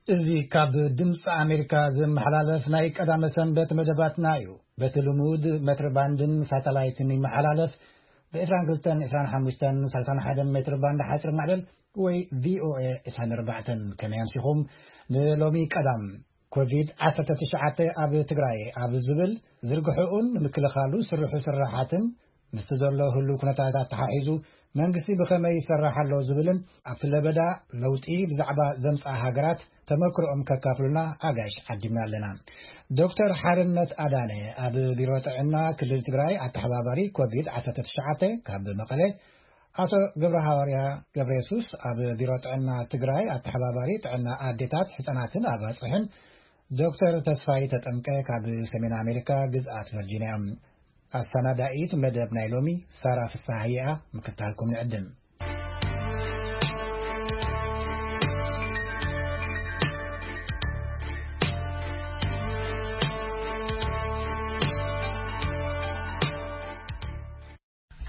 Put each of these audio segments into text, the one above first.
እዚ ካብ ድምፂ ኣሜሪካ ዝመሓላለፍ ናይ ቀዳመ ሰንበት መደባትና እዩ። በቲ ልሙድ መትሪ ባንድን ሳተላይትን ይመሓላለፍ። ብ22፣ 25፣ 31 ሜትር ባንድ ሓፂር ማዕበል ወይ ቪ ኦ ኤ 24። ከመይ ኣምሲኹም? ንሎሚ ቀዳም ኮቪድ-19 ኣብ ትግራይ ኣብ ዝብል ዝርግሕኡን ንምክልኻሉ ስርሑ ስራሓትን ምስቲ ዘሎ ህሉ ኩነታት ኣተሓሒዙ መንግስቲ ብኸመይ ይሰርሕ ኣሎ ዝብልን ኣብቲ ለበዳ ለውጢ ብዛዕባ ዘምፅኣ ሃገራት ተመክሮኦም ከካፍሉና ኣጋይሽ ዓዲምና ኣለና። ዶክተር ሓርነት ኣዳነ ኣብ ቢሮ ጥዕና ክልል ትግራይ ኣተሓባባሪ ኮቪድ-19 ካብ መቐለ፣ ኣቶ ገብረ ሃዋርያ ገብረ የሱስ ኣብ ቢሮ ጥዕና ትግራይ ኣተሓባባሪ ጥዕና ኣዴታት፣ ህፃናትን ኣባፅሕን፣ ዶክተር ተስፋይ ተጠምቀ ካብ ሰሜን ኣሜሪካ ግዝኣት ቨርጂንያ እዮም። ኣሰናዳኢት መደብ ናይ ሎሚ ሳራ ፍስሃየኣ ምክታልኩም ንዕድም።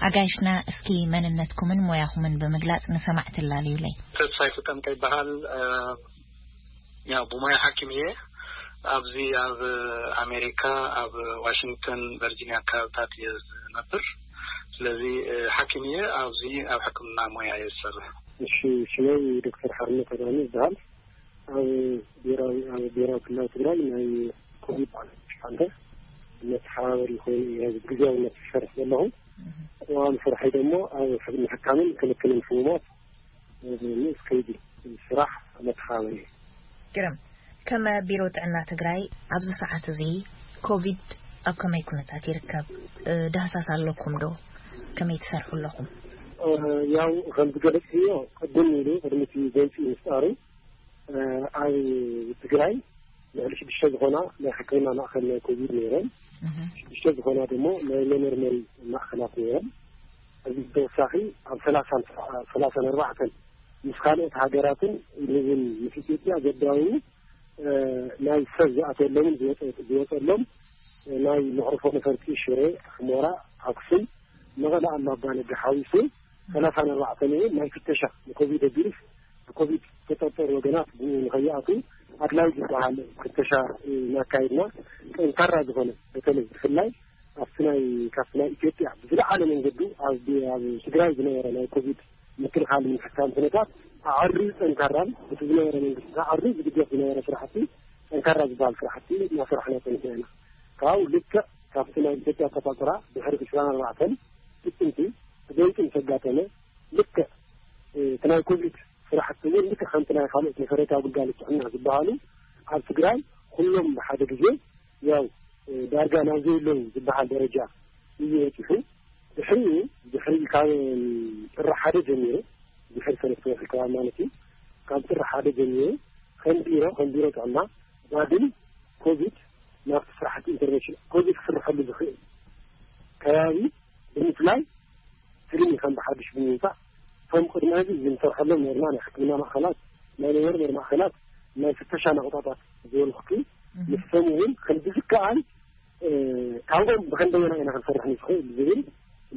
ኣጋይሽና፣ እስኪ መንነትኩምን ሞያኹምን ብምግላጽ ንሰማዕቲ ኣላልዩለይ። ተስፋይ ተጠምቀ ይበሃል። እ፣ ያው ብሞያ ሓኪም እየ። ኣብዚ ኣብ ኣሜሪካ ኣብ ዋሽንግተን ቨርጂኒያ ከባብታት እየ ዝነብር። ስለዚ፣ እ፣ ሓኪም እየ። ኣብዚ ኣብ ሕክምና ሞያ እየ ዝሰርሕ። እሺ፣ ሽመይ ዶክተር ሓርነት ኣዳነ ይበሃል። ኣብ ብሔራዊ፣ ኣብ ብሔራዊ ክልላዊ ትግራይ ናይ ኮቪድ ዓሰርተ ሽሓን መተሓባበሪ ኮይኑ እየ ግዝያውነት ዝሰርሕ ዘለኹ። ቅዋም ስርሐይ ደግሞ ኣብ ሕክምና ሕካምን ክልክልን ሕሙማት ንኡስ ከይዲ ስራሕ መተሓባበሪ እየ። ግርም። ከም ቢሮ ጥዕና ትግራይ ኣብዚ ሰዓት እዚ ኮቪድ ኣብ ከመይ ኩነታት ይርከብ? እ፣ ዳህሳስ ኣለኩም ዶ? ከመይ ትሰርሑ ኣለኹም? እ፣ ያው ከም ዝገለጽክዮ ቅድም ኢሉ ቅድሚ እቲ ጎንፂ ምፍጣሩ፣ እ፣ ኣብ ትግራይ ልዕሊ ሽዱሽተ ዝኾና ናይ ሕክምና ማእከል ናይ ኮቪድ ነይረን። እህ። ሽዱሽተ ዝኾና ደሞ ናይ መመርመሪ ማእከላት ነይረን። እዚ ብተወሳኺ ኣብ ሰላሳን፣ ሰላሳን ኣርባዕተን ምስ ካልኦት ሃገራትን ንብን ምስ ኢትዮጵያ ዘዳውኑ፣ እ፣ ናይ ሰብ ዝኣተወሎምን ዝወፀ-፣ ዝወፀሎም፣ እ፣ ናይ መዕርፎ ነፈርቲ ሽረ፣ ሑመራ፣ ኣክሱም፣ መቐለ፣ ኣላባ፣ ነጋ ሓዊሱ ሰላሳን ኣርባዕተን እውን ናይ ፍተሻ ንኮቪድ ቪሩስ ብኮቪድ ዝተጠርጠሩ ወገናት ብኡ ንኸይኣትዉ ኣድላዪ ዝበሃል ፍተሻ እናካየድና፣ ጠንካራ ዝኾነ፣ በተለይ ብፍላይ ኣብቲ ናይ፣ ካብቲ ናይ ኢትዮጵያ ብዝለዓለ መንገዱ ኣብ፣ ኣብ ትግራይ ዝነበረ ናይ ኮቪድ ምክልኻል ምሕካም ኩነታት ኣዐርዩ ጠንካራን፣ እቲ ዝነበረ መንግስቲ ኣዐርዩ ዝድገፍ ዝነበረ ስራሕቲ፣ ጠንካራ ዝበሃል ስራሕቲ እናሰራሕና ፀኒሕና ኢና። ካብኡ ልክዕ ካብቲ ናይ ኢትዮጵያ ኣቆፃፅራ ድሕሪ ዕስራን ኣርባዕተን ጥቅምቲ ብጎንፂ ምስ ኣጋጠመ፣ ልክዕ፣ እ፣ እቲ ናይ ኮቪድ ስራሕቲ እውን ልክዕ ከምቲ ናይ ካልኦት መሰረታዊ ግልጋሎት ጥዕና ዝበሃሉ ኣብ ትግራይ ኩሎም ብሓደ ግዜ፣ ያው፣ እ፣ ዳርጋ ናብ ዘይብሎም ዝበሃል ደረጃ እዩ በፂሑ። ድሕሪኡ፣ ድሕሪ ካብ ጥሪ ሓደ ጀሚሩ፣ ድሕሪ ሰለስተ ወርሒ ከባቢ ማለት እዩ፣ ካብ ጥሪ ሓደ ጀሚሩ ከም ቢሮ፣ ከም ቢሮ ጥዕና ዳግም ኮቪድ ናብቲ ስራሕቲ ኢንተርቬንሽን ኮቪድ ክስርሐሉ ዝኽእል ከባቢ ብምፍላይ፣ ትልሚ ከም ብሓድሽ ብምውፃእ፣ እቶም ቅድሚ ሕዚ ዝንሰርሐሎም ነርና ናይ ሕክምና ማእኸላት፣ ናይ መመርመሪ ማእኸላት፣ ናይ ፍተሻ ናቑጣታት ዝበልኩኪ፣ እህ። ንሶም እውን ከም ዝከኣል፣ እ፣ ካብኦም ብኸንደየና ኢና ክንሰርሕ ንኽእል ዝብል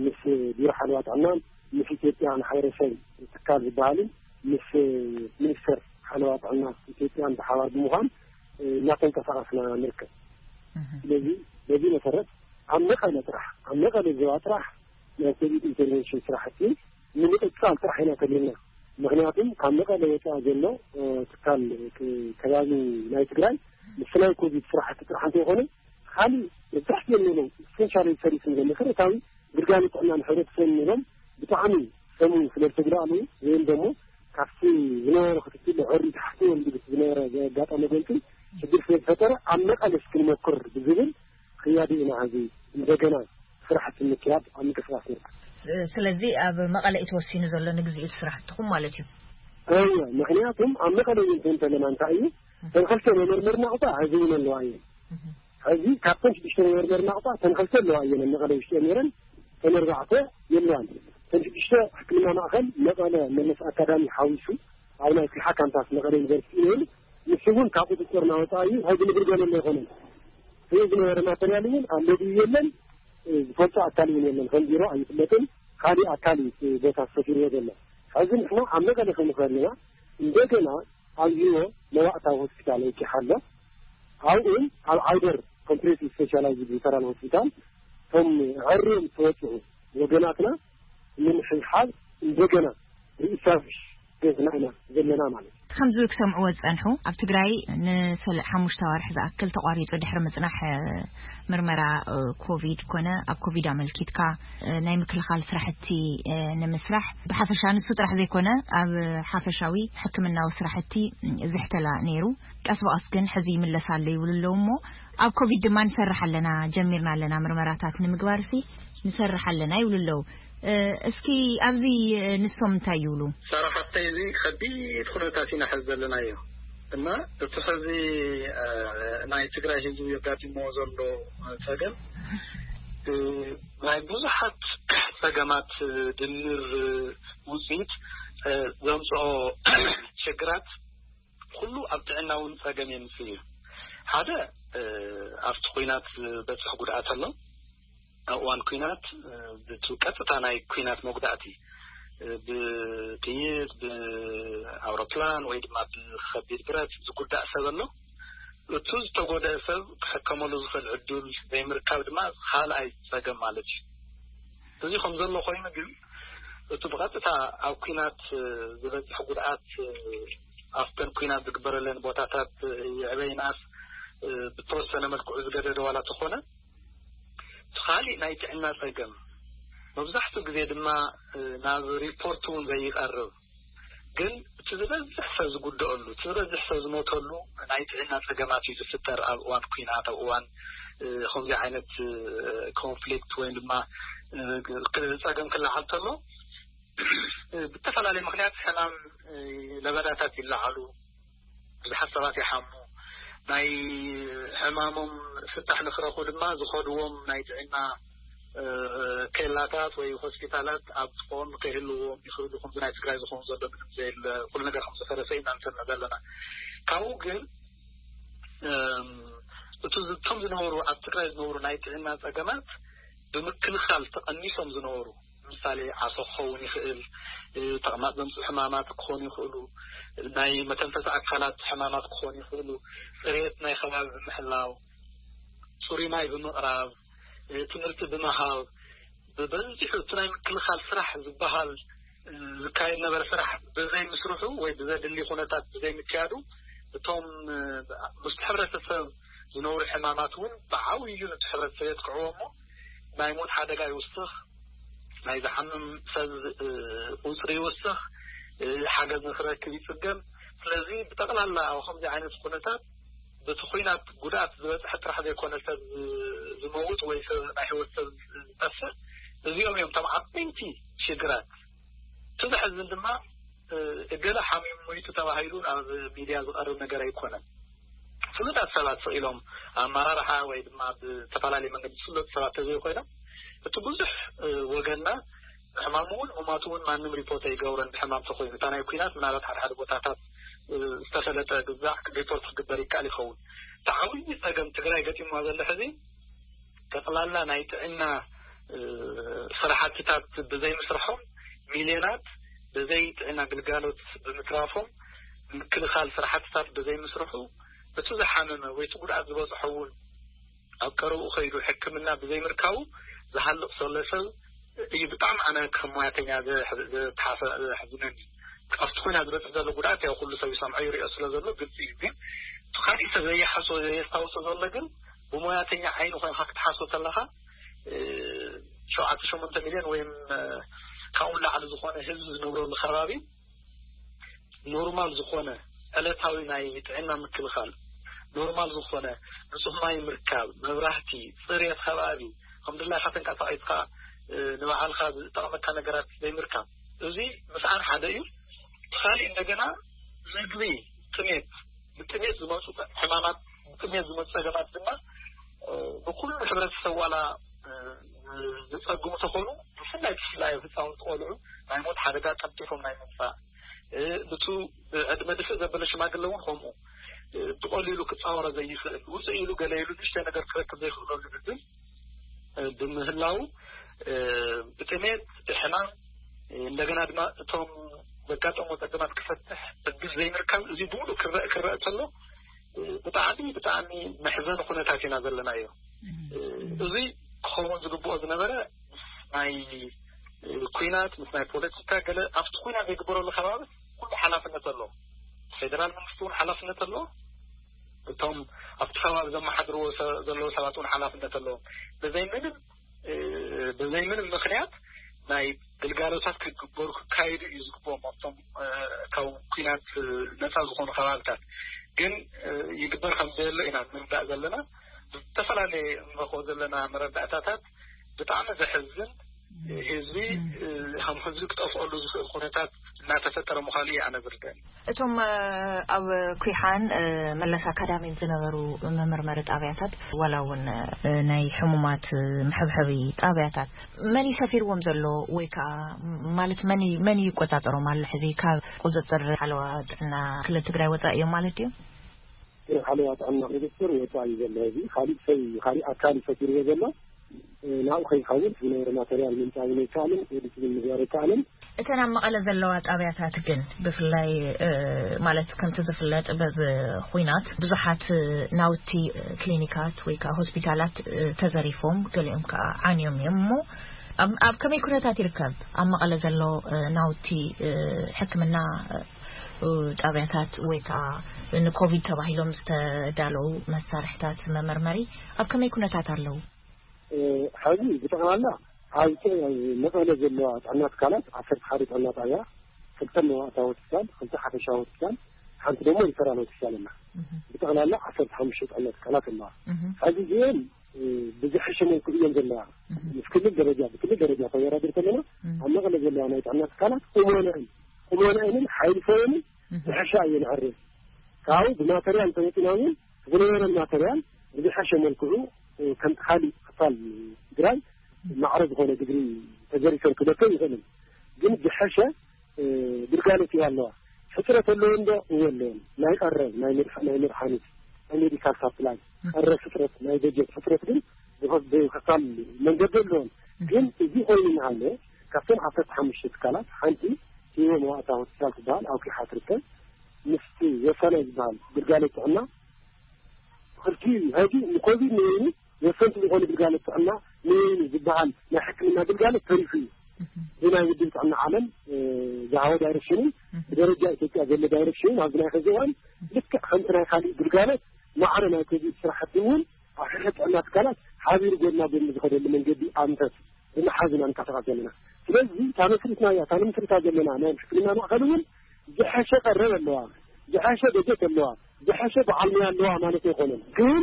ምስ ቢሮ ሓለዋ ጥዕናን ምስ ኢትዮጵያ ማሕበረሰብ ትካል ዝበሃልን ምስ ሚኒስተር ሓለዋ ጥዕና ኢትዮጵያን ብሓባር ብምዃን፣ እ፣ እናተንቀሳቐስና ንርከብ። እህ። ስለዚ በዚ መሰረት ኣብ መቐለ ጥራሕ፣ ኣብ መቐለ ዞባ ጥራሕ ናይ ኮቪድ ኢንተርቬንሽን ስራሕቲ ንምቕፃል ጥራሕ ኢና ተሊና። ምኽንያቱም ካብ መቐለ ወፃኢ ዘሎ፣ እ፣ ትካል፣ እ፣ ከባቢ ናይ ትግራይ ምስ ናይ ኮቪድ ስራሕቲ ጥራሕ እንተይኮነ፣ ካሊእ መብዛሕትኦም ንብሎም ኢሰንሻል ሰርቪስ ንብሎም መሰረታዊ ግልጋሎት ጥዕና ንሕብረተሰብ ንብሎም ብጣዕሚ ሰሙን ስለ ዝተጉዳእሉ ወይም ደሞ ካብቲ ዝነበረ ክትትል ዕሪ ታሕቲ ወልዱ ዝነበረ ዘጋጠመ ጎንፂ ሽግር ስለ ዝፈጠረ ኣብ መቐለ እስኪ ንመኩር ብዝብል ክያዲ ኢና ሕዚ እንደገና ስራሕቲ ምክያድ ኣብ ምንቅስቃስ ንርከብ። ስ-፣ ስለዚ ኣብ መቐለ እዩ ተወሲኑ ዘሎ ንግዚኡ እቲ ስራሕትኹም ማለት እዩ? እወ፣ ምኽንያቱም ኣብ መቐለ እውን እንተለና እንታይ እዩ፣ እተን ክልተ መመርመሪ ናቑጣ ሕዚ እውን ኣለዋ እየን። እህ። ሕዚ ካብተን ሽዱሽተ መመርመሪ ናቑጣ እተን ክልተ ኣለዋ እየን ኣብ መቐለ ውሽጢ ነይረን፣ እተን ኣርባዕተ የለዋን። እተን ሽዱሽተ ሕክምና ማእኸል መቐለ መለስ ኣካዳሚ ሓዊሱ ኣብ ናይ ፍልሓ ካምፓስ መቐለ ዩኒቨርሲቲ ነይሩ። ንሱ እውን ካብ ቁፅፅርና ወፃኢ እዩ። ሕዚ ንግልገለሉ ኣይኮነን። ሕዚ ዝነበረ ማተርያል እውን ኣሎ ድዩ የለን፣ እ፣ ዝፈልጦ ኣካል እውን የለን። ከም ቢሮ ኣይፍለጥን። ካሊእ ኣካል እዩ እቲ ቦታ ተፈጢርዎ ዘሎ። ሕዚ ንሕና ኣብ መቐለ ከም ንኽእል ኢና እንደገና ኣብዚዎ መዋእታዊ ሆስፒታል ወቂሓ ኣሎ። ኣብኡ ኣብ ዓይደር ኮምፕሬሲቭ ስፔሻላይዝድ ሪፈራል ሆስፒታል እቶም ዕርዮም ዝተወፅኡ ወገናትና ንምሕብሓብ እንደገና ሪኢስታብሊሽ ገዝና ኢና ዘለና ማለት እዩ። ከምዚ ክሰምዕዎ ዝጸንሑ፣ ኣብ ትግራይ ንሰለ ሓሙሽተ ኣዋርሕ ዝኣክል ተቋሪጹ ድሕሪ ምጽናሕ ምርመራ ኮቪድ ኮነ ኣብ ኮቪድ ኣመልኪትካ ናይ ምክልኻል ስራሕቲ ንምስራሕ ብሓፈሻ ንሱ ጥራሕ ዘይኮነ ኣብ ሓፈሻዊ ሕክምናዊ ስራሕቲ ዝሕተላ ነይሩ። ቀስ ብቐስ ግን ሕዚ ይምለስ ኣሎ ይብሉ ኣለዉ እሞ ኣብ ኮቪድ ድማ ንሰርሕ ኣለና፣ ጀሚርና ኣለና ምርመራታት ንምግባር ሲ ንሰርሕ ኣለና ይብሉ ኣለዉ። እስኪ ኣብዚ ንሶም እንታይ ይብሉ? ሳራ ሓፍተይ፣ እዚ ከቢድ ኩነታት ኢና ሕዚ ዘለናዮ እና እቲ ሕዚ ናይ ትግራይ ህዝቢ የጋጢምዎ ዘሎ ጸገም ናይ ብዙሓት ጸገማት ድምር ውፅኢት ዘምፅኦ ችግራት ኩሉ ኣብ ጥዕና እውን ጸገም የምፅእ እዩ። ሓደ ኣብቲ ኩናት ዝበፅሕ ጉድኣት ኣሎ። ኣብ እዋን ኩናት ብቲ ቀጥታ ናይ ኩናት መጉዳእቲ ብጥይት ብኣውሮፕላን ወይ ድማ ብከቢድ ብረት ዝጉዳእ ሰብ ኣሎ። እቱ ዝተጎደአ ሰብ ክሕከመሉ ዝኽእል ዕድል ዘይምርካብ ድማ ካልኣይ ጸገም ማለት እዩ። እዚ ከም ዘሎ ኮይኑ ግን እቱ ብቐጥታ ኣብ ኩናት ዝበፅሕ ጉድኣት ኣብተን ኩናት ዝግበረለን ቦታታት ይዕበይናስ ብተወሰነ መልክዑ ዝገደደ ዋላ ተኾነ እቲ ካሊእ ናይ ጥዕና ጸገም መብዛሕትኡ ግዜ ድማ ናብ ሪፖርት እውን ዘይቀርብ ግን እቲ ዝበዝሕ ሰብ ዝጉደአሉ እቲ ዝበዝሕ ሰብ ዝሞተሉ ናይ ጥዕና ጸገማት እዩ ዝፍጠር ኣብ እዋን ኩናት ኣብ እዋን ከምዚ ዓይነት ኮንፍሊክት ወይ ድማ ጸገም ክለዓል ተሎ ብተፈላለየ ምክንያት ሕማም ለበዳታት ይለዓሉ። ብዙሓት ሰባት ይሓሙ። ናይ ሕማሞም ፍታሕ ንክረኹ ድማ ዝኸድዎም ናይ ጥዕና ኬላታት ወይ ሆስፒታላት ኣብ ዝኾን ከይህልዎም ይኽእሉ። ከምዚ ናይ ትግራይ ዝኾኑ ዘሎ ምንም ዘየለ ኩሉ ነገር ከም ዝፈረሰ ኢና ንሰምዕ ዘለና። ካብኡ ግን እቱ እቶም ዝነበሩ ኣብ ትግራይ ዝነበሩ ናይ ጥዕና ጸገማት ብምክልኻል ተቐኒሶም ዝነበሩ ምሳሌ ዓሶ ክኸውን ይኽእል፣ ተቕማጥ ዘምፅኡ ሕማማት ክኾኑ ይኽእሉ፣ ናይ መተንፈሲ ኣካላት ሕማማት ክኾኑ ይኽእሉ፣ ፅሬት ናይ ከባቢ ብምሕላው፣ ፅሩይ ማይ ብምቕራብ፣ ትምህርቲ ብምሃብ፣ ብበዚሑ እቲ ናይ ምክልኻል ስራሕ ዝበሃል ዝካየድ ነበረ ስራሕ ብዘይ ምስርሑ ወይ ብዘድሊ ኩነታት ብዘይ ምክያዱ እቶም ምስቲ ሕብረተሰብ ዝነብሩ ሕማማት እውን ብዓብዩ ነቲ ሕብረተሰብ የጥቅዕዎ እሞ ናይ ሞት ሓደጋ ይውስኽ፣ ናይ ዝሓምም ሰብ ቁፅሪ ይውስኽ፣ ሓገዝ ንክረክብ ይፅገም። ስለዚ ብጠቕላላ ኣብ ከምዚ ዓይነት ኩነታት በቲ ኩናት ጉድኣት ዝበፅሐ ጥራሕ ዘይኮነ ሰብ ዝመውት ወይ ሰብ ናይ ህይወት ሰብ ዝጠፍእ እዚኦም እዮም እቶም ዓበይቲ ሽግራት። እቲ ዘሕዝን ድማ እገለ ሓሚሙ ሞይቱ ተባሂሉ ኣብ ሚድያ ዝቐርብ ነገር ኣይኮነን። ፍሉጣት ሰባት ስቕ ኢሎም ኣመራርሓ ወይ ድማ ብዝተፈላለየ መንገዲ ዝፍለጡ ሰባት ተዘይኮይኖም እቲ ብዙሕ ወገንና ሕማሙ እውን ምማቱ እውን ማንም ሪፖርት ኣይገብሮን። ብሕማም ተኮይኑ እታ ናይ ኩናት ምናልባት ሓደ ሓደ ቦታታት ዝተፈለጠ ግዛዕ ሪፖርት ክግበር ይከኣል ይኸውን። እቲ ዓብዪ ፀገም ትግራይ ገጢምዋ ዘሎ ሕዚ ጠቕላላ ናይ ጥዕና ስራሕትታት ብዘይምስርሖም ሚልዮናት ብዘይ ጥዕና ግልጋሎት ብምትራፎም ምክልኻል ስራሕትታት ብዘይምስርሑ እቲ ዝሓመመ ወይ እቲ ጉድኣት ዝበፅሖ እውን ኣብ ቀረብኡ ከይዱ ሕክምና ብዘይምርካቡ ዝሃልቕ ዘሎ ሰብ እዩ። ብጣዕሚ ኣነ ከም ሞያተኛ ዘሕዝነኒ ካብቲ ኮይና ዝበፅሕ ዘሎ ጉድኣት ያው ኩሉ ሰብ ይሰምዖ ይሪኦ ስለ ዘሎ ግልፂ እዩ። ግን እቲ ካሊእ ሰብ ዘየሓሶ ዘየስታውሶ ዘሎ ግን ብሞያተኛ ዓይኒ ኮይንካ ክትሓሶ ከለካ ሸውዓተ ሸሞንተ ሚልዮን ወይም ካብኡ ላዕሊ ዝኾነ ህዝቢ ዝነብረሉ ከባቢ ኖርማል ዝኾነ ዕለታዊ ናይ ጥዕና ምክልኻል ኖርማል ዝኾነ ንፁህ ማይ ምርካብ መብራህቲ ፅሬት ከባቢ ከም ድላይካ ተንቀሳቒስካ ንባዕልካ ዝጠቕመካ ነገራት ዘይምርካብ እዚ ምስኣን ሓደ እዩ። ካሊእ እንደገና ምግቢ ጥሜት ብጥሜት ዝመፁ ሕማማት ብጥሜት ዝመፁ ፀገማት ድማ ንኩሉ ሕብረተሰብ ዋላ ዝፀግሙ ተኾኑ ብፍላይ ብፍላይ ህፃውንቲ ቆልዑ ናይ ሞት ሓደጋ ቀልጢፎም ናይ ምምፃእ ብቱ ዕድመ ድፍእ ዘበለ ሽማግለ እውን ከምኡ ብቐሊሉ ክፃወሮ ዘይኽእል ውፅእ ኢሉ ገለ ኢሉ ንእሽተ ነገር ክረክብ ዘይኽእለሉ ዕድል ብምህላው ብጥሜት ብሕማም እንደገና ድማ እቶም ዘጋጠሞ ጸገማት ክፈትሕ ዕድል ዘይምርካብ፣ እዚ ብሙሉእ ክረእ ክረእ ከሎ፣ ብጣዕሚ ብጣዕሚ መሕዘኒ ኩነታት ኢና ዘለናዮ። እዚ ክኸውን ዝግብኦ ዝነበረ፣ ናይ ኲናት ምስ ናይ ፖለቲካ ገለ ኣብቲ ኲናት ዘይግበረሉ ከባቢ ኩሉ ሓላፍነት ኣለዎ። ፌደራል መንግስቲ እውን ሓላፍነት ኣለዎ። እቶም ኣብቲ ከባቢ ዘመሓድርዎ ሰ- ዘለዉ ሰባት እውን ሓላፍነት ኣለዎም። ብዘይ ምንም እ፣ ብዘይ ምንም ምክንያት ናይ ግልጋሎታት ክግበሩ ክካየዱ እዩ ዝግብኦም ኣብቶም እ፣ ካብ ኲናት እ፣ ነፃ ዝኾኑ ከባብታት። ግን እ፣ ይግበር ከም ዘየሎ ኢና ንርዳእ ዘለና። ዝተፈላለየ እንረኽቦ ዘለና መረዳእታታት ብጣዕሚ ዘሕዝን፣ ህዝቢ እ፣ ከም ህዝቢ ክጠፍኦሉ ዝኽእል ኩነታት እናተፈጠረ ምዃኑ እዩ ኣነ ዝርዳእ። እቶም ኣብ ኩሓን መለስ ኣካዳሚን ዝነበሩ መመርመሪ ጣብያታት፣ ዋላ እውን ናይ ሕሙማት መሐብሐቢ ጣብያታት፣ መን እዩ ሰፊርዎም ዘሎ? ወይ ከዓ ማለት መን እዩ- መን እዩ ይቆፃፀሮም ኣሎ? ሕዚ ካብ ቁፅፅር ሓለዋ ጥዕና ክልል ትግራይ ወፃኢ እዮም ማለት ድዮም? ሓለዋ ጥዕና ቁፅፅር ወፃኢ ዘሎ፣ እዚ ካሊእ ሰብ፣ ካሊእ ኣካል እዩ ሰፊርዎ ዘሎ። ናብኡ ከይኸውን ዝነበረ ማተርያል ምምፃእ እውን ኣይከኣልን፣ ኤዲት እውን ምግባር ኣይከኣልን። እተን ኣብ መቐለ ዘለዋ ጣብያታት ግን ብፍላይ ማለት ከምቲ ዝፍለጥ በዚ ኹናት ብዙሓት ናውቲ ክሊኒካት ወይ ከዓ ሆስፒታላት ተዘሪፎም፣ ገሊኦም ከዓ ዓንዮም እዮም። እሞ ኣብ ከመይ ኩነታት ይርከብ ኣብ መቐለ ዘሎ ናውቲ ሕክምና ጣብያታት ወይ ከዓ ንኮቪድ ተባሂሎም ዝተዳለዉ መሳርሕታት መመርመሪ ኣብ ከመይ ኩነታት ኣለዉ? ሐዚ ብጠቕላላ ኣብ መቐለ ዘለዋ ጥዕና ትካላት ዓሰርተ ሓደ ጥዕና ጣብያ፣ ክልተ መዋእታ ሆስፒታል፣ ክልተ ሓፈሻ ሆስፒታል፣ ሓንቲ ደግሞ ሪፈራል ሆስፒታል ኣላ። ብጠቕላላ ዓሰርተ ሓሙሽተ ጥዕና ትካላት ኣለዋ። ሐዚ እዚአን ብዝሐሸ መልክዑ እየን ዘለዋ። ምስ ክልል ደረጃ ብክልል ደረጃ ተወዳድር ከለና ኣብ መቐለ ዘለዋ ናይ ጥዕና ትካላት ቁመነአን ቁመነአንን ሓይልፈንን ዝሐሻ እየን። ዕሬ ካብኡ ብማተርያል ተመፂና እውን ዝነበረን ማተርያል ብዝሐሸ መልክዑ ከምቲ ካሊእ ክፋል ትግራይ ማዕረ ዝኾነ ድግሪ ተዘሪፈን ክበከ ይኽእልን ግን ዝሐሸ ግልጋሎት ይሃለዋ። ሕፅረት ኣለዎ እንዶ እወ ኣለዎን። ናይ ቀረብ ናይ መድሓ- ናይ መድሓኒት ናይ ሜዲካል ሳፕላይ ቀረብ ሕፅረት ናይ በጀት ሕፅረት ግን ብኸ- ብኸፋል መንገዲ ኣለዎን። ግን እዚ ኮይኑ እናሃለ ካብተን ዓሰርተ ሓሙሽተ ትካላት ሓንቲ ሂወ መዋእታ ሆስፒታል ትበሃል ኣብ ኪሓ ትርከብ። ምስቲ ወሳናይ ዝበሃል ግልጋሎት ጥዕና ክልቲኡ ሀዲ ንኮቪድ ንበይኑ ወሰንቲ ዝኾኑ ግልጋሎት ጥዕና ንበይኑ ዝበሃል ናይ ሕክምና ግልጋሎት ተሪፉ እዩ። ብናይ ውድብ ጥዕና ዓለም ዝሃቦ ዳይሬክሽንን ብደረጃ ኢትዮጵያ ዘሎ ዳይሬክሽንን ኣብዚ ናይ ኸዚ እዋን ልክዕ ከምቲ ናይ ካሊእ ግልጋሎት ማዕረ ናይ ኮቪድ ስራሕቲ እውን ኣብ ሕድሕድ ጥዕና ትካላት ሓቢሩ ጎድና ጎድኒ ዝኸደሉ መንገዲ ኣንፈት ብምሓዝ ኢና ንንቀሳቐስ ዘለና። ስለዚ እታ መስሪትና እያ እታ ንምስርታ ዘለና ናይ ሕክምና ማእኸል እውን ዝሐሸ ቀረብ ኣለዋ፣ ዝሐሸ በጀት ኣለዋ፣ ዝሐሸ በዓል ሞያ ኣለዋ ማለት ኣይኮነን። ግን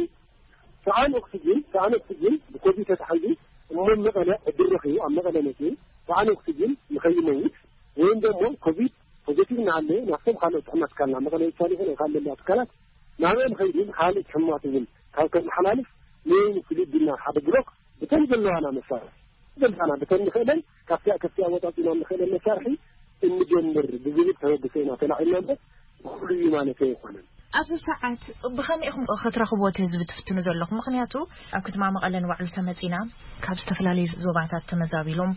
ሰኣን ኦክስጅን ሰኣን ኦክስጅን ብኮቪድ ተታሒዙ እሞ መቐለ ዕድል ረኺቡ ኣብ መቐለ መፅኡ ሰኣን ኦክስጅን ንኸይመውት ወይም ደግሞ ኮቪድ ፖዘቲቭ እናሃለየ ናብቶም ካልኦት ጥዕና ትካልና መቐለ ይቻል ይኹን ካልእ ለለዋ ትካላት ናብኦም ኸይዱ ካልእ ሕሙማት እውን ካብ ከመሓላልፍ ንወይኒ ፍሉይ ቢልና ሓደ ብሎክ ብተን ዘለዋና መሳርሒ ዘለዋና ብተን ንኽእለን ካብቲኣ ከፍቲኣ ወጣጢና ንኽእለን መሳርሒ እንጀምር ብዝብል ተበግሶ ኢና ተላዒልና እምበር ኩሉ እዩ ማለት ኣይኮነን። ኣብዚ ሰዓት ብኸመይ ኢኹም ክትረኽብዎ እቲ ህዝቢ ትፍትኑ ዘለኹም? ምኽንያቱ ኣብ ከተማ መቐለ ንባዕሉ ተመፂና ካብ ዝተፈላለዩ ዞባታት ተመዛቢሎም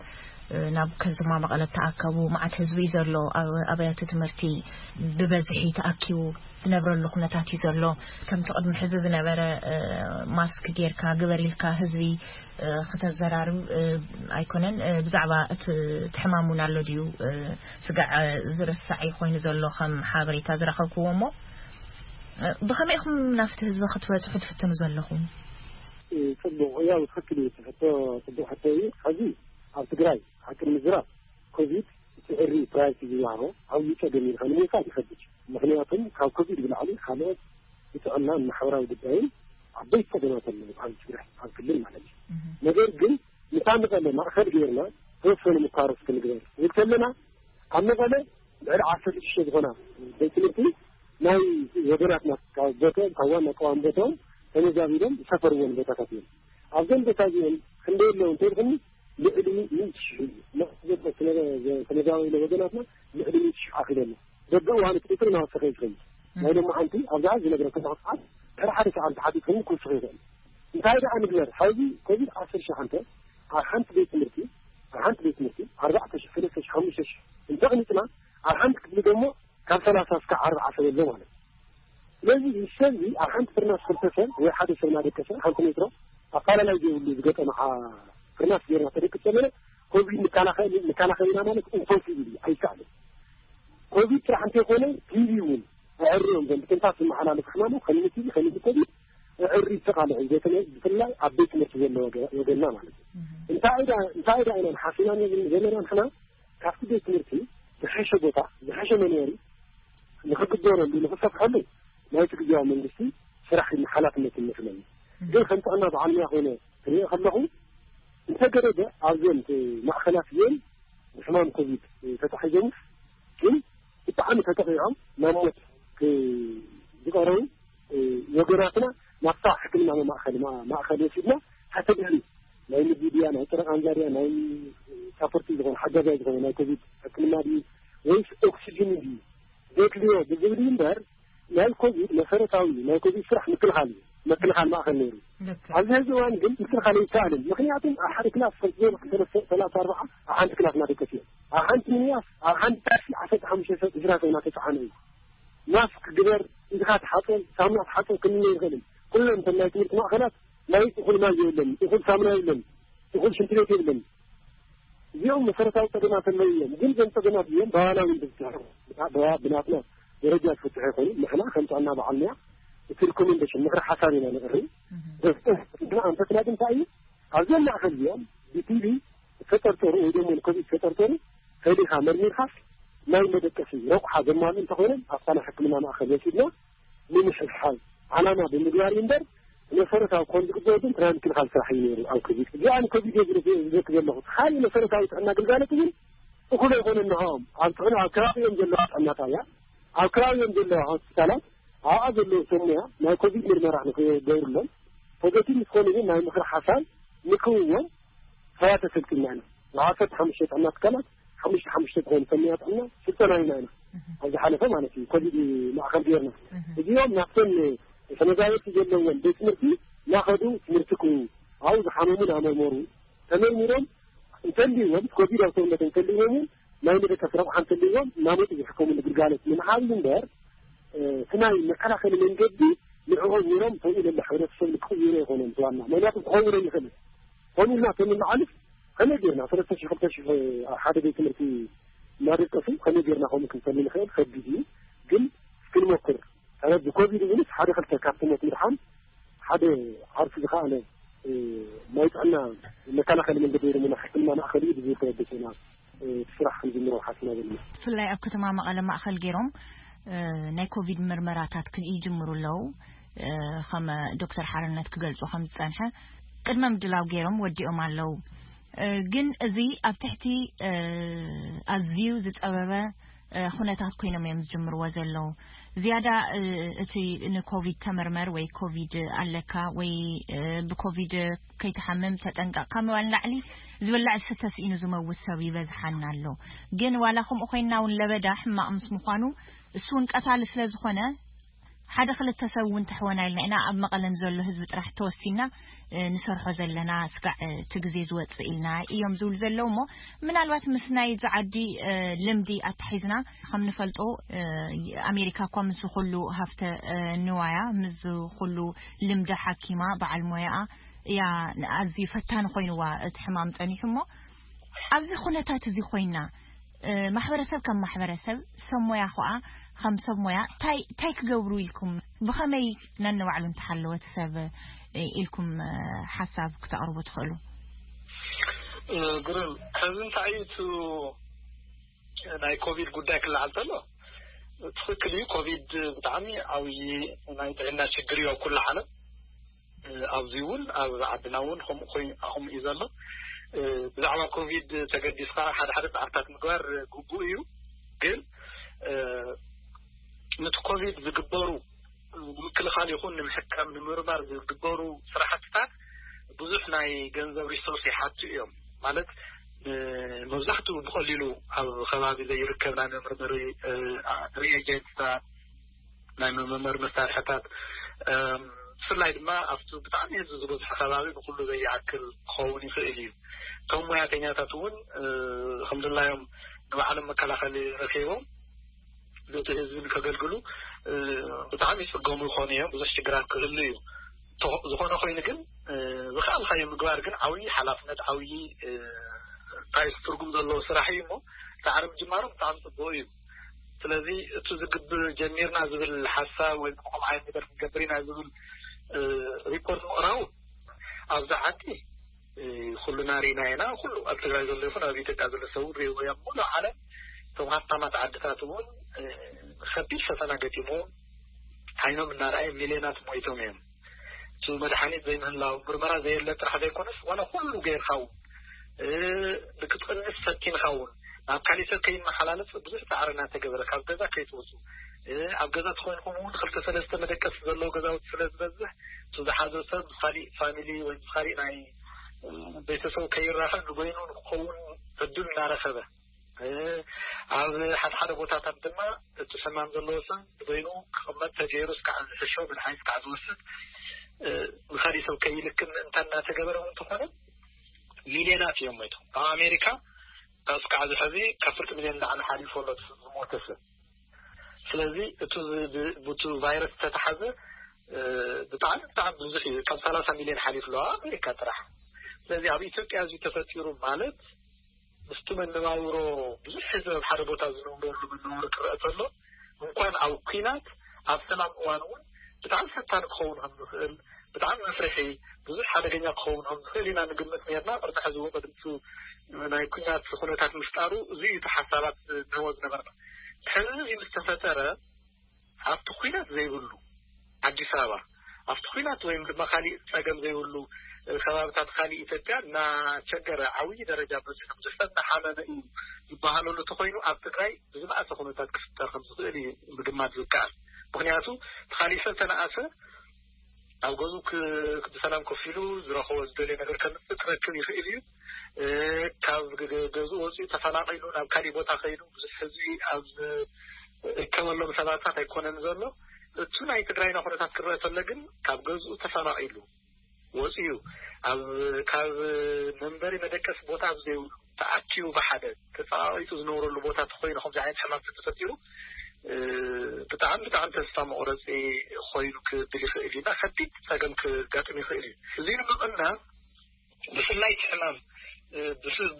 ናብ ከተማ መቐለ ተኣከቡ። መዓት ህዝቢ እዩ ዘሎ። ኣብ ኣብያተ ትምህርቲ ብበዝሒ ተኣኪቡ ዝነብረሉ ኩነታት እዩ ዘሎ። ከምቲ ቅድሚ ሕዚ ዝነበረ ማስክ ጌርካ ግበር ኢልካ ህዝቢ ክተዘራርብ ኣይኮነን። ብዛዕባ እቲ ሕማም እውን ኣሎ ድዩ ስጋዕ ዝርሳዕ ኮይኑ ዘሎ ከም ሓበሬታ ዝረኸብክዎ እሞ ብኸመይ ኢኹም ናብቲ ህዝቢ ክትበፅሑ ትፍትኑ ዘለኹም? ፅቡቕ ያው ትኽክል እዩ። ሕቶ ፅቡቕ ሕቶ እዩ። ሕዚ ኣብ ትግራይ ሓቂ ንምዝራብ ኮቪድ እቲ ዕሪ ፕራዮሪቲ ዝወሃቦ ዓብዪ ፀገም እዩ። ንምውሳድ ይኸብድ። ምኽንያቱም ካብ ኮቪድ ብላዕሊ ካልኦት ብጥዕና ማሕበራዊ ጉዳይን ዓበይቲ ፀገማት ኣለዉ ኣብ ትግራይ ኣብ ክልል ማለት እዩ። ነገር ግን ምሳ መቐለ ማእኸል ገይርና ተወሰኑ ምኳሮስ ክንግበር ዝብል ከለና ኣብ መቐለ ልዕሊ ዓሰርተ ሽዱሽተ ዝኾና ቤት ትምህርቲ ናይ ወገናትና ካብ ቦትኦም ካብ ዋና ቀዋሚ ቦትኦም ተመዛቢሎም ዝሰፈርዎን ቦታታት እዮም። ኣብዞም ቦታ እዚኦም ክንደይ ኣለዉ እንተልኩኒ ልዕሊ ሚእቲ ሽሕ እዩ። ተመዛቢሎ ወገናትና ልዕሊ ሚእቲ ሽሕ ኣኺሉ ኣሎ። በብእዋኑ እቲ ቁፅሪ እናወሰኸ እዩ ዝኸይድ። ናይ ሎማዓንቲ ኣብዛ ዝነግረካ ዘለኹ ሰዓት ድሕሪ ሓደ ሰዓት ተሓቲትኩም ክውስኽ ይኽእል። እንታይ ደኣ ንግበር? ሕዚ ኮቪድ ዓሰርተ ሸሓንተ ኣብ ሓንቲ ቤት ትምህርቲ ኣብ ሓንቲ ቤት ትምህርቲ ኣርባዕተ ሽሕ ሰለስተ ሽሕ ሓሙሽተ ሽሕ እንተቕኒጥና ኣብ ሓንቲ ክፍሊ ደግሞ ካብ ሰላሳ እስካብ ኣርብዓ ሰብ ኣሎ ማለት እዩ። ስለዚ እዚ ሰብ እዚ ኣብ ሓንቲ ፍርናስ ክልተ ሰብ ወይ ሓደ ሰብ እናደቀሰ ሓንቲ ሜትሮ ኣፋላላይ ዘይብሉ ዝገጠመ ፍርናስ ጌርና ተደቅስ ዘለና ኮቪድ ንከላኸል ኢና ማለት ኢምፖሲብል እዩ፣ ኣይከኣልን። ኮቪድ ጥራሕ እንተይኮነ ቲቪ እውን ኣዕርዮም ዘም ብትንፋስ ዝመሓላለፍ ሕማም ከም ቲቪ ከም ኮቪድ ኣዕሪ ተቃልዑ ብፍላይ ኣብ ቤት ትምህርቲ ዘሎ ወገንና ማለት እዩ። እንታይ ዳ እንታይ ዳ ኢና ሓሲና ዘለና ንሕና ካብቲ ቤት ትምህርቲ ዝሐሸ ቦታ ዝሐሸ መንበሪ ንክግበረሉ ንክሰፍሐሉ ናይቲ ግዜያዊ መንግስቲ ስራሕ ሓላፍነት ይመስለኒ። ግን ከም ጥዕና ብዓለምያ ኮይነ ክሪኦ ከለኹ እንተገደደ ኣብዘን ማእኸላት እየን ብሕማም ኮቪድ ተታሒዞም ግን ብጣዕሚ ተጠቂዖም ናብ ሞት ዝቀረቡ ወገናትና ናብታ ሕክምና ማእኸል ማእኸል ወሲድና ተተገሪ ናይ ምግቢ ድያ ናይ ጥረ ቃንዛ ድያ ናይ ሳፖርቲ ዝኾነ ሓጋዛይ ዝኾነ ናይ ኮቪድ ሕክምና ድዩ ወይስ ኦክሲጅን ድዩ ዘድልዮ ብዝብል እዩ እምበር ናይ ኮቪድ መሰረታዊ ናይ ኮቪድ ስራሕ ምክልኻል እዩ። መክልኻል ማእኸል ነይሩ። ኣብዚ ሕዚ እዋን ግን ምክልኻል ኣይከኣልን። ምክንያቱም ኣብ ሓደ ክላስ ከምቲ ዝበልኩ ሰለስተ ሰላሳ ኣርባዓ ኣብ ሓንቲ ክላስ እናደቀስ እዮም። ኣብ ሓንቲ ሚኒባስ ኣብ ሓንቲ ታክሲ ዓሰርተ ሓሙሽተ ሰብ ዕስራ ሰብ እናተፀዓነ እዩ። ማስክ ግበር፣ ኢድኻ ተሓፀብ፣ ሳሙና ተሓፀብ ክንብል ኣይንኽእልን። ኩሎም እቶም ናይ ትምህርቲ ማእኸላት ናይ እኹል ማይ የብለን፣ እኹል ሳሙና የብለን፣ እኹል ሽንቲ ቤት የብለን። እዚኦም መሰረታዊ ፀገማት ኣለዉ እዮም። ግን እዞም ፀገማት እዚኦም ብባህላዊ ዝፍትሑ ብናትና ደረጃ ዝፍትሑ ይኾኑ። ንሕና ከም ጥዕና በዓል ሙያ እቲ ሪኮሜንዴሽን ምኽሪ ሓሳብ ኢና ነቕርብ። ንሕና ኣንፈትና ግን እንታይ እዩ ኣብዞም ማእኸል እዚኦም ብቲቪ ዝተጠርጠሩ ወይ ደግሞ ንኮቪድ ዝተጠርጠሩ ከዲኻ መርሚርካስ ናይ መደቀሲ ረቑሓ ዘማሉ እንተኾይኖም ኣብታ ናይ ሕክምና ማእኸል ወሲድና ንምሕዝሓዝ ዓላማ ብምግባር እዩ እምበር መሰረታዊ ክኾን ዝግበኦ ግን ናይ ምክልኻል ስራሕ እዩ ነይሩ ኣብ ኮቪድ። እዚኣ ንኮቪድ እየ ዝረክ ዘለኹ። ካልእ መሰረታዊ ጥዕና ግልጋሎት እውን እኹል ኣይኮነን። ንዕኦም ኣብ ጥዕና ኣብ ከባቢኦም ዘለዋ ጥዕና ጣብያ ኣብ ከባቢኦም ዘለዋ ሆስፒታላት ኣብኣ ዘለዉ ሰብ ሞያ ናይ ኮቪድ ምርመራ ንክገብሩሎም ፖዘቲቭ ምስኮኑ ግን ናይ ምኽሪ ሓሳብ ንክህብዎም ተራ ተሰልጢና ኢና። ንዓሰርተ ሓሙሽተ ጥዕና ትካላት ሓሙሽተ ሓሙሽተ ዝኾኑ ሰብ ሞያ ጥዕና ስልጠና ኢና ኢና ኣብ ዝሓለፈ ማለት እዩ ኮቪድ ማእኸል ገይርና እዚኦም ናብተን ተመዛበልቲ ዘለዎም ቤት ትምህርቲ እናኸዱ ትምህርቲ ክህቡ ኣብኡ ዝሓመሙ እናመርመሩ ተመርሚሮም እንተልይዎም ኮቪድ ኣብ ሰውነቶም እንተልይዎም እውን ናይ መደቀሲ ረብሓ እንተልይዎም እናመፁ ዝሕከሙሉ ግልጋሎት ንምሃብ እዩ እምበር እቲ ናይ መከላኸሊ መንገዲ ንዕኦም ነይሮም ከምኡ ኢሎም ሕብረተሰብ ክቕይሩ ኣይኮነን ዋና ምክንያቱ ክኸውን ኣይኽእልን። ከምኡ ኢልና ተንመዓልፍ ከመይ ጌርና ሰለስተ ሽሕ ክልተ ሽሕ ኣብ ሓደ ቤት ትምህርቲ እናደቀሱ ከመይ ጌርና ከምኡ ክንሰሊ ንኽእል ከቢድ እዩ። ግን እስክንሞክር ሕረድ ኮቪድ እውንስ ሓደ ክልተ ካብቲ ሞት ምድሓን ሓደ ዓርሱ ዝኸኣለ ናይ ጥዕና መከላኸሊ መንገዲ ወይ ድማ ናይ ሕክምና ማእኸል እዩ ብዝብል ተበገሰና ስራሕ ክንጅምሮ ሓስና ዘለና። ብፍላይ ኣብ ከተማ መቐለ ማእኸል ገይሮም ናይ ኮቪድ ምርመራታት ይጅምሩ ኣለዉ። ከም ዶክተር ሓርነት ክገልፁ ከም ዝፀንሐ ቅድመ ምድላው ገይሮም ወዲኦም ኣለዉ። ግን እዚ ኣብ ትሕቲ ኣዝዩ ዝፀበበ ኩነታት ኮይኖም እዮም ዝጅምርዎ ዘለዉ። ዝያዳ እቲ ንኮቪድ ተመርመር ወይ ኮቪድ ኣለካ ወይ ብኮቪድ ከይትሓምም ተጠንቀቕ ካብ ምባል ንላዕሊ ዝብላዕ ዝስተ ስኢኑ ዝመውት ሰብ ይበዝሓና ኣሎ። ግን ዋላ ከምኡ ኮይንና እውን ለበዳ ሕማቕ ምስ ምዃኑ እሱ እውን ቀታሊ ስለ ዝኾነ ሓደ ክልተ ሰብ እውን ተሕወና ኢልና ኢና ኣብ መቐለ ንዘሎ ህዝቢ ጥራሕ ተወሲና ንሰርሖ ዘለና ስጋዕ እቲ ግዜ ዝወፅእ ኢልና እዮም ዝብሉ ዘለዉ እሞ ምናልባት ምስ ናይ እዚ ዓዲ ልምዲ ኣታሒዝና ከም ንፈልጦ ኣሜሪካ እኳ ምስ ኩሉ ሃፍተ ንዋያ ምስ ኩሉ ልምዲ ሓኪማ በዓል ሞያኣ እያ ኣዝዩ ፈታኒ ኮይንዋ እቲ ሕማም ፀኒሑ እሞ ኣብዚ ኩነታት እዚ ኮይና ማሕበረሰብ ከም ማሕበረሰብ ሰብ ሞያ ኸዓ ከም ሰብ ሞያ ታይ ታይ ክገብሩ ኢልኩም ብኸመይ ነንባዕሉ እንተሓለወ እቲ ሰብ ኢልኩም ሓሳብ ክተቕርቡ ትኽእሉ? ግሩም ሕዚ እንታይ እዩ እቲ ናይ ኮቪድ ጉዳይ ክለዓል ተሎ ትኽክል እዩ። ኮቪድ ብጣዕሚ ዓብዪ ናይ ጥዕና ችግር እዩ ኣብ ኩሉ ዓለም ኣብዚ እውን ኣብ ዓድና እውን ከምኡ ኮይኑ ከምኡ እዩ ዘሎ። ብዛዕባ ኮቪድ ተገዲስካ ሓደ ሓደ ፃዕርታት ምግባር ግቡእ እዩ። ግን ነቲ ኮቪድ ዝግበሩ ንምክልኻል ይኹን ንምሕካም ንምርማር ዝግበሩ ስራሕትታት ብዙሕ ናይ ገንዘብ ሪሶርስ ይሓቱ እዮም። ማለት መብዛሕትኡ ብቐሊሉ ኣብ ከባቢ ዘይርከብ ናይ መመርመሪ ሪኤጀንትታት ናይ መመርመሪ መሳርሕታት ብፍላይ ድማ ኣብቲ ብጣዕሚ ህዝቢ ዝበዝሖ ከባቢ ንኩሉ ዘይኣክል ክኸውን ይኽእል እዩ። እቶም ሞያተኛታት እውን ከምድላዮም ንባዕሎም መከላኸሊ ረኪቦም ነቲ ህዝቢ ንከገልግሉ ብጣዕሚ ይፅገሙ ይኾኑ እዮም። ብዙሕ ሽግራት ክህሉ እዩ። ዝኾነ ኮይኑ ግን ዝኸኣልካዮ ምግባር ግን ዓብዪ ሓላፍነት፣ ዓብዪ እንታይ ትርጉም ዘለዎ ስራሕ እዩ። እሞ ፃዕሪ ምጅማሩ ብጣዕሚ ፅቡቅ እዩ። ስለዚ እቲ ዝግብር ጀሚርና ዝብል ሓሳብ ወይ ከምኡ ዓይነት ነገር ክንገብር ኢና ዝብል ሪፖርት ምቕራቡ ኣብዚ ዓዲ ኩልና ርኢና ኢና። ኩሉ ኣብ ትግራይ ዘሎ ይኹን ኣብ ኢትዮጵያ ዘሎ ሰብ ሪእዎ እዮም። ሙሉእ ዓለም፣ እቶም ሃብታማት ዓድታት እውን ከቢድ ፈተና ገጢሞም ዓይኖም እናረኣየ ሚልዮናት ሞይቶም እዮም። እቲ መድሓኒት ዘይምህላው፣ ምርመራ ዘየለ ጥራሕ ዘይኮነስ ዋላ ኩሉ ገይርካ እውን ንክትቕንስ ፈቲንካ እውን ናብ ካሊእ ሰብ ከይመሓላለፍ ብዙሕ ፃዕሪ እናተገበረ ካብ ገዛ ከይትወፁ፣ ኣብ ገዛ ተኮይንኩም እውን ክልተ ሰለስተ መደቀሲ ዘለዎ ገዛውቲ ስለ ዝበዝሕ እቲ ዝሓዞ ሰብ ምስ ካሊእ ፋሚሊ ወይ ምስ ካሊእ ናይ ቤተሰብ ከይራኸብ ንበይኑ ንክኸውን ዕድል እናረኸበ፣ ኣብ ሓደ ሓደ ቦታታት ድማ እቲ ሕማም ዘለዎ ሰብ ንበይኑ ክቕመጥ ተገይሩ እስካዕ ዝሕሾ መድሓኒት እስካዕ ዝወስድ ንካሊእ ሰብ ከይልክን ምእንታ እናተገበረ እውን እንተኾነ ሚልዮናት እዮም ሞይቶም። ኣብ ኣሜሪካ እስካዕ ዝሐዚ ካብ ፍርቂ ሚልዮን ላዕሊ ሓሊፉ ኣሎ ዝሞተ ሰብ። ስለዚ እቲ ብቲ ቫይረስ ዝተተሓዘ ብጣዕሚ ብጣዕሚ ብዙሕ እዩ። ካብ ሰላሳ ሚልዮን ሓሊፉ ኣሎ ኣብ ኣሜሪካ ጥራሕ። ስለዚ ኣብ ኢትዮጵያ እዚ ተፈጢሩ ማለት ምስቲ መነባብሮ ብዙሕ ህዝቢ ኣብ ሓደ ቦታ ዝነብረሉ መነባብሮ ክረአ ከሎ እንኳን ኣብ ኲናት ኣብ ሰላም እዋን እውን ብጣዕሚ ፈታኒ ክኸውን ከም ዝኽእል፣ ብጣዕሚ መፍርሒ፣ ብዙሕ ሓደገኛ ክኸውን ከም ዝኽእል ኢና ንግምት ነርና። ቅድሚ ሕዚ እውን ቅድሚ ናይ ኲናት ኩነታት ምፍጣሩ እዚ እዩ እቲ ሓሳባት ንህቦ ዝነበርና። ሕዚ እዚ ምስ ተፈጠረ ኣብቲ ኲናት ዘይብሉ ኣዲስ ኣበባ ኣብቲ ኲናት ወይም ድማ ካሊእ ፀገም ዘይብሉ ከባብታት ካሊእ ኢትዮጵያ እናቸገረ ዓብዪ ደረጃ በፂሑ ብዙሕ ሰብ እናሓመመ እዩ ዝበሃለሉ ተኮይኑ ኣብ ትግራይ ብዝበኣሰ ኩነታት ክፍጠር ከም ዝኽእል እዩ ምግማት ዝከኣል። ምክንያቱ እቲ ካሊእ ሰብ ተነኣሰ ኣብ ገዝኡ ክ- ብሰላም ኮፍ ኢሉ ዝረኸቦ ዝደልዮ ነገር ከምፅእ ክረክብ ይኽእል እዩ። ካብ ገ- ገዝኡ ወፂኡ ተፈናቒሉ ናብ ካሊእ ቦታ ከይዱ ብዙሕ ህዝቢ ኣብ ዝርከበሎም ሰባታት ኣይኮነን ዘሎ። እቱ ናይ ትግራይና ኩነታት ክረአ ተሎ ግን ካብ ገዝኡ ተፈናቒሉ ወፂኡ ኣብ ካብ መንበሪ መደቀሲ ቦታ ኣብ ዘይብሉ ተኣኪቡ ብሓደ ተፀባቢጡ ዝነብረሉ ቦታ ተኮይኑ ከምዚ ዓይነት ሕማም ተተፈጢሩ ብጣዕሚ ብጣዕሚ ተስፋ መቁረፂ ኮይኑ ክብል ይኽእል እዩ እና ከቢድ ፀገም ክጋጥም ይኽእል እዩ። እዚ ንምቕናብ ብፍላይ እቲ ሕማም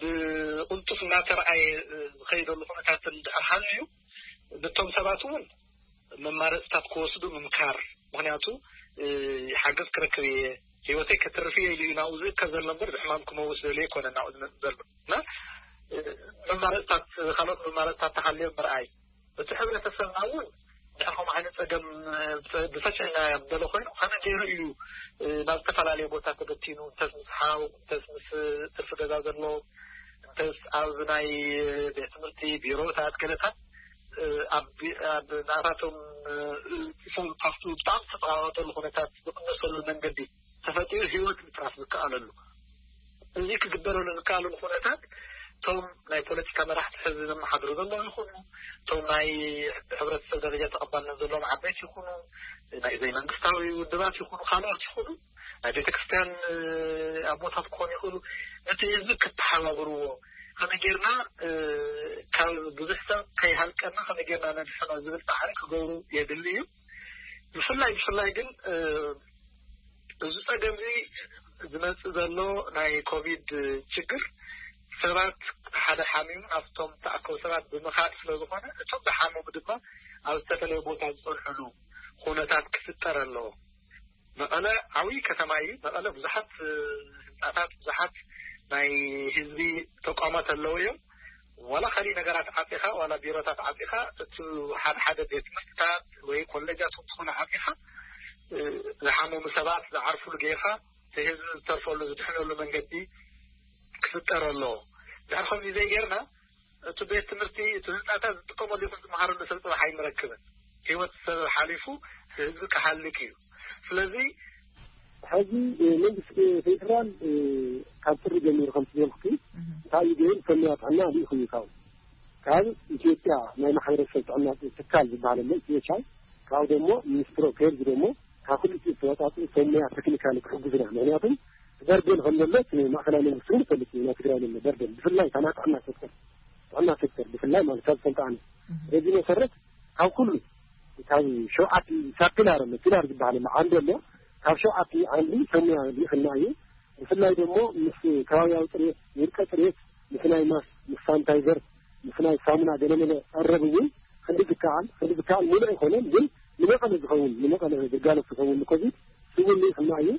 ብቅልጡፍ እናተረኣየ ዝኸይደሉ ኩነታት እንድሕር ሃልዩ ነቶም ሰባት እውን መማረፅታት ክወስዱ ምምካር። ምክንያቱ ሓገዝ ክረክብ እየ፣ ህይወተይ ከትርፍ እየ ኢሉ እዩ ናብኡ ዝእከብ ዘሎ እምበር ብሕማም ክመውት ደልዮ ኣይኮነን ናብኡ ዝመፅእ ዘሎ እና መማረፅታት ካልኦት መማረፅታት ተሃልዮም ምርኣይ። እቲ ሕብረተሰብና እውን ድሕር ከምኡ ዓይነት ፀገም ብሰፊሕ ኢና በሎ ኮይኑ ከመይ ገይሩ እዩ ናብ ዝተፈላለየ ቦታ ተበቲኑ እንተስ ምስ ሓው እንተስ ምስ ትርፊ ገዛ ዘሎ እንተስ ኣብ ናይ ቤት ትምህርቲ ቢሮታት ገለታት ኣብ ናታቶም ሰብ ካብቲ ብጣዕሚ ዝተፀባበጠሉ ኩነታት ዝቅነሰሉ መንገዲ ተፈጢሩ ህይወት ምጥራፍ ዝከኣለሉ እዚ ክግበረሉ ዝከኣለሉ ኩነታት እቶም ናይ ፖለቲካ መራሕቲ ሕዚ ዘመሓድሩ ዘለዉ ይኹኑ እቶም ናይ ሕብረተሰብ ደረጃ ተቐባልነት ዘለዎም ዓበይቲ ይኹኑ ናይ ዘይመንግስታዊ ውድባት ይኹኑ ካልኦት ይኹኑ ናይ ቤተክርስትያን ኣቦታት ክኾኑ ይኽእሉ ነቲ ህዝቢ ክተሓባብርዎ ከመይ ጌርና ካብ ብዙሕ ሰብ ከይሃልቀና ከመይ ጌርና ነድሕኖ ዝብል ፃዕሪ ክገብሩ የድሊ እዩ። ብፍላይ ብፍላይ ግን እዚ ፀገም እዚ ዝመፅእ ዘሎ ናይ ኮቪድ ችግር ሰባት ሓደ ሓሚሙ ኣብቶም ተኣከቡ ሰባት ብምኻድ ስለዝኾነ እቶም ዝሓመሙ ድማ ኣብ ዝተፈለየ ቦታ ዝፀንሕሉ ኩነታት ክፍጠር ኣለዎ። መቐለ ዓብዪ ከተማ እዩ። መቐለ ብዙሓት ህንፃታት ብዙሓት ናይ ህዝቢ ተቋማት ኣለዉ እዮም። ዋላ ካሊእ ነገራት ዓፂኻ ዋላ ቢሮታት ዓፂኻ እቲ ሓደ ሓደ ቤት ትምህርትታት ወይ ኮሌጃት ዝኾነ ዓፂኻ ዝሓመሙ ሰባት ዝዓርፍሉ ጌርካ እቲ ህዝቢ ዝተርፈሉ ዝድሕነሉ መንገዲ ክፍጠር ኣለዎ። ድሕር ከምዚ ዘይጌርና እቲ ቤት ትምህርቲ እቲ ህንፃታት ዝጥቀመሉ ይኹን ዝመሃረሉ ሰብ ፅባሕ ኣይንረክብን። ህይወት ሰብ ሓሊፉ ህዝቢ ክሃልክ እዩ። ስለዚ ሕዚ መንግስቲ ፌደራል ካብ ጥሪ ጀሚሩ ከም ዝበልኩ እንታይ እዩ ገይሩ ሰሚያ ጥዕና ልኢኹ እዩ ካብ ካብ ኢትዮጵያ ናይ ማሕበረሰብ ጥዕና ትካል ዝበሃል ኣሎ ኢትዮጵያ ካብ ደግሞ ሚኒስትሮ ከሄድ ደግሞ ካብ ክልቲኡ ዝተወፃፅኡ ሰብ ሞያ ቴክኒካሊ ክሕግዙና። ምክንያቱም በርደን ከም ዘሎ እቲ ማእከላይ መንግስቲ እውን ይፈልጥ እዩ። ናይ ትግራይ ዘሎ በርደን ብፍላይ እታ ናይ ጥዕና ሴክተር ጥዕና ሴክተር ብፍላይ ማለት ካብ ዝፈልጣ ኣነ በዚ መሰረት ካብ ኩሉ ካብ ሸውዓተ ሳብ ፒላር ኣሎ፣ ፒላር ዝበሃል ኣሎ፣ ዓንዲ ኣሎ። ካብ ሸውዓተ ዓንዲ ሰሙያ ልኢኽና እዩ። ብፍላይ ደሞ ምስ ከባብያዊ ፅሬት፣ ውልቀ ፅሬት፣ ምስ ናይ ማስ፣ ምስ ሳኒታይዘር፣ ምስ ናይ ሳሙና ገለመለ ቀረብ እውን ክንዲ ዝከኣል፣ ክንዲ ዝከኣል ሙሉእ ኣይኮነን፣ ግን ንመቐለ ዝኸውን፣ ንመቐለ ግልጋሎት ዝኸውን ንኮቪድ ስቡል ልኢኽና እዩ።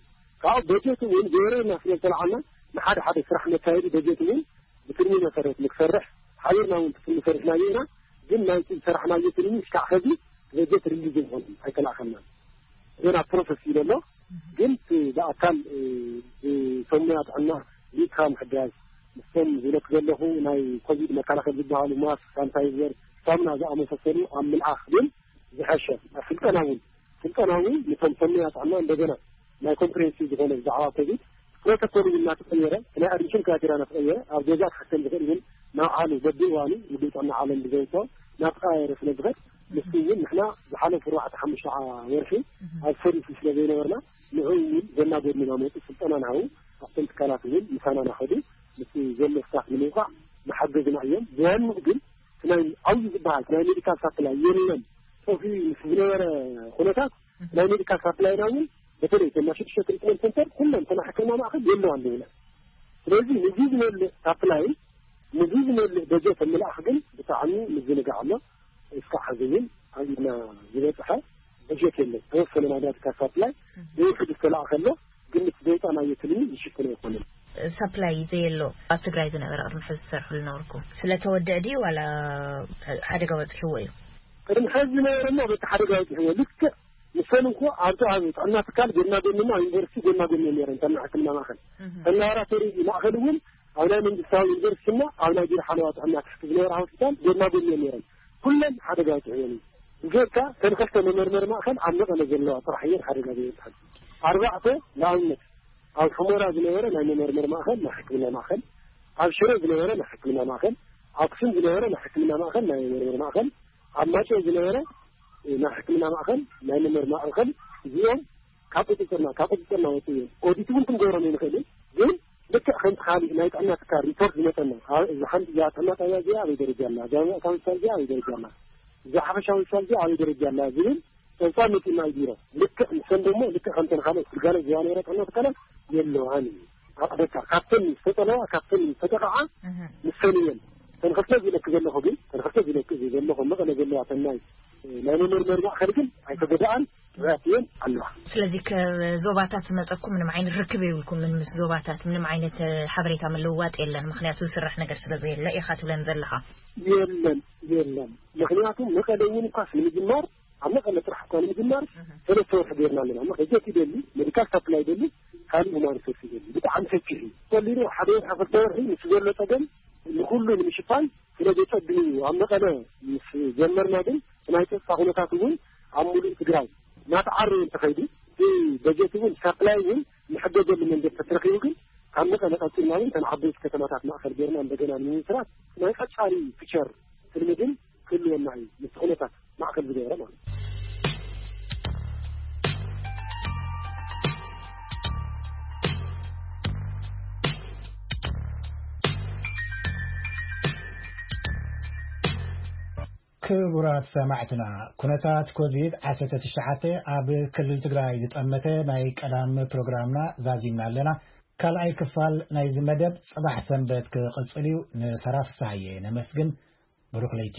ካብኡ በጀት እውን ገይረና ስለ ዝተለዓልና ንሓደ ሓደ ስራሕ መካየዲ በጀት እውን ብትልሚ መሰረት ንክሰርሕ ሓቢርና እውን ትልሚ ሰሪሕናዮ ኢና። ግን ናይቲ ዝሰራሕናዮ ትልሚ እስካዕ ኸዚ በጀት ሪሊዝ ዝኾነ ኣይተላእኸልናን። ገና ፕሮሰስ እዩ ዘሎ። ግን እቲ ብኣካል፣ እ፣ ብሰሙያ ጥዕና ሊካ ምሕጋዝ፣ ምስቶም ዝለክ ዘለኹ ናይ ኮቪድ መከላኸሊ ዝበሃሉ ማስክ፣ ሳኒታይዘር፣ ሳሙና ዝኣመሳሰሉ ኣብ ምልኣኽ ግን ዝሐሸ። ኣብ ስልጠና እውን፣ ስልጠና እውን ነቶም ሰሙያ ጥዕና እንደገና ናይ ኮምፕሬንሲቭ ዝኾነ ብዛዕባ ኮቪድ ፕሮቶኮል እውን እናተቐየረ፣ ናይ ኣድሚሽን ክራይቴሪያ እናተቐየረ፣ ኣብ ገዛ ክሕከም ዝኽእል እውን ናብ ዓሉ በብእዋኑ ውድብ ጥዕና ዓለም ብዘውፅኦ እናተቐያየረ ስለ ዝኸድ፣ ንሱ እውን ንሕና ዝሓለፉ ኣርባዕተ ሓሙሽተ ወርሒ ኣብ ሰርቪስ ስለ ዘይነበርና፣ ንዑ እውን ዘናጎድንና መፁ ስልጠና ንሃቡ። ኣብቶም ትካላት እውን ምሳና ናኸዱ፣ ምስ ዘሎ ስታፍ ንምውቃዕ መሓገዝና እዮም። ብዋንኡ ግን እቲ ናይ ዓብዩ ዝበሃል ናይ ሜዲካል ሳፕላይ የለን። ጠፊኡ ምስ ዝነበረ ኩነታት ናይ ሜዲካል ሳፕላይና እውን በተለይ እተን ናይ ሽዱሽተ ትሪትመንት ሰንተር ኩለን እተን ናይ ሕክምና ማእኸል የለዋን ንብለን። ስለዚ ንዚ ዝመልእ ሳፕላይ፣ ንዚ ዝመልእ በጀት ምልኣኽ ግን ብጣዕሚ ምዝንጋዕ ኣሎ። እስካዕ ሕዚ እውን ኣብ ኢድና ዝበፅሐ በጀት የለን። ተወሰነ ናይ ሜዲካል ሳፕላይ ብውሕዱ ዝተላእኸ ኣሎ፣ ግን እቲ ዘውፃእናዮ ትልሚ ዝሽፍን ኣይኮነን። ሳፕላይ ዘየሎ ኣብ ትግራይ ዝነበረ ቅድሚ ሕዚ ዝሰርሕሉ ነበርኩም ስለተወድዕ ድዩ ዋላ ሓደጋ በፂሕዎ እዩ? ቅድሚ ሕዚ ዝነበረ እሞ በቲ ሓደጋ በፂሕዎ። ልክዕ ንሰን እንኮ ኣብቲ ኣብ ጥዕና ትካል ጎና ጎንና፣ ኣብ ዩኒቨርሲቲ ጎና ጎኒ ነይረን፣ እተን ናይ ሕክምና ማእኸል። እተን ላቦራቶሪ ማእኸል እውን ኣብ ናይ መንግስታዊ ዩኒቨርሲቲና ኣብ ናይ ቢሮ ሓለዋ ጥዕና ትሕቲ ዝነበራ ሆስፒታል ጎና ጎኒ ነይረን። ኩለን ሓደጋ በፂሕወን እዩ። ብጀካ እተን ክልተ መመርመሪ ማእኸል ኣብ መቐለ ዘለዋ ጥራሕ እየን ሓደጋ ዘይበፅሐን። ኣርባዕተ ንኣብነት ኣብ ሑመራ ዝነበረ ናይ መመርመሪ ማእኸል፣ ናይ ሕክምና ማእኸል፣ ኣብ ሽረ ዝነበረ ናይ ሕክምና ማእኸል፣ ኣክሱም ዝነበረ ናይ ሕክምና ማእኸል፣ ናይ መመርመሪ ማእኸል፣ ኣብ ማጨ ዝነበረ ናይ ሕክምና ማእኸል፣ ናይ መመርመሪ ማእኸል፣ እዚኦም ካብ ቁፅፅርና፣ ካብ ቁፅፅርና ወፂኡ እዮም። ኦዲት እውን ክንገብሮም ኣይንኽእልን። ግን ልክዕ ከምቲ ካሊእ ናይ ጥዕና ትካል ሪፖርት ዝመፀና፣ ኣብ፣ እዛ ሓንቲ፣ እዛ ጥዕና ጣብያ እዚኣ ኣበይ ደረጃ ኣላ፣ እዛ ማእከላዊ ሆስፒታል እዚኣ ኣበይ ደረጃ ኣላ፣ እዛ ሓፈሻዊ ሆስፒታል እዚኣ ኣበይ ደረጃ ኣላ ዝብል ፀብፃብ መፂኡና እዩ ቢሮ። ልክዕ ንሰን ደሞ ልክዕ ከምተን ካልኦት ግልጋሎት ዝህባ ነይረ ጥዕና ትካላት የለዋን እዩ። ኣቕደካ ካብተን ዝተጠለዋ፣ ካብተን ዝተጠቕዓ ንሰን እየን። ተን ክልተ ዝለክ ዘለኹ ግን፣ ተን ክልተ ዝለክ ዘለኹ መቐለ ዘለዋ ተን ናይ፣ ናይ መመርመሪ ማእኸል ግን ኣይተጎድኣን፣ ጥዑያት እየን ኣለዋ። ስለዚ ካብ ዞባታት ዝመፀኩም ምንም ዓይነት ርክብ የብልኩምን? ምስ ዞባታት ምንም ዓይነት ሓበሬታ ምልውዋጥ የለን፣ ምኽንያቱ ዝስራሕ ነገር ስለ ዘየለ ኢኻ ትብለን ዘለኻ። የለን፣ የለን። ምኽንያቱ መቐለ እውን እኳስ ንምጅማር፣ ኣብ መቐለ ጥራሕ እኳ ንምጅማር ሰለስተ ወርሒ ገይርና ኣለና። እሞ በጀት ይደሊ፣ ሜዲካል ሳፕላይ ይደሊ፣ ካልእ ሁማን ሪሶርስ ይደሊ። ብጣዕሚ ሰፊሕ እዩ። ቀሊሉ ሓደ ወርሒ፣ ክልተ ወርሒ ምስ ዘሎ ፀገም ንኩሉ ንምሽፋን ስለ ዘፀግም እዩ። ኣብ መቐለ ምስ ጀመርና ግን ናይ ፀጥታ ኩነታት እውን ኣብ ሙሉእ ትግራይ እናተዓረየ እንተኸይዱ፣ እቲ በጀት እውን ሳፕላይ እውን ንሕገዘሉ መንገዲ ተተረኺቡ ግን ካብ መቐለ ቀፂልና እውን እተን ዓበይቲ ከተማታት ማእኸል ገይርና እንደገና ንምምስራት ናይ ቀፃሊ ፊቸር ትልሚ ግን ክህልወና እዩ። ምስቲ ኩነታት ማእኸል ዝገበረ ማለት እዩ። ክቡራት ሰማዕትና፣ ኩነታት ኮቪድ ዓሰርተ ትሽዓተ ኣብ ክልል ትግራይ ዝጠመተ ናይ ቀዳም ፕሮግራምና ዛዚምና ኣለና። ካልኣይ ክፋል ናይዚ መደብ ጽባሕ ሰንበት ክቕጽል እዩ። ንሰራ ፍስሃየ ነመስግን። ብሩኽ ለይቲ።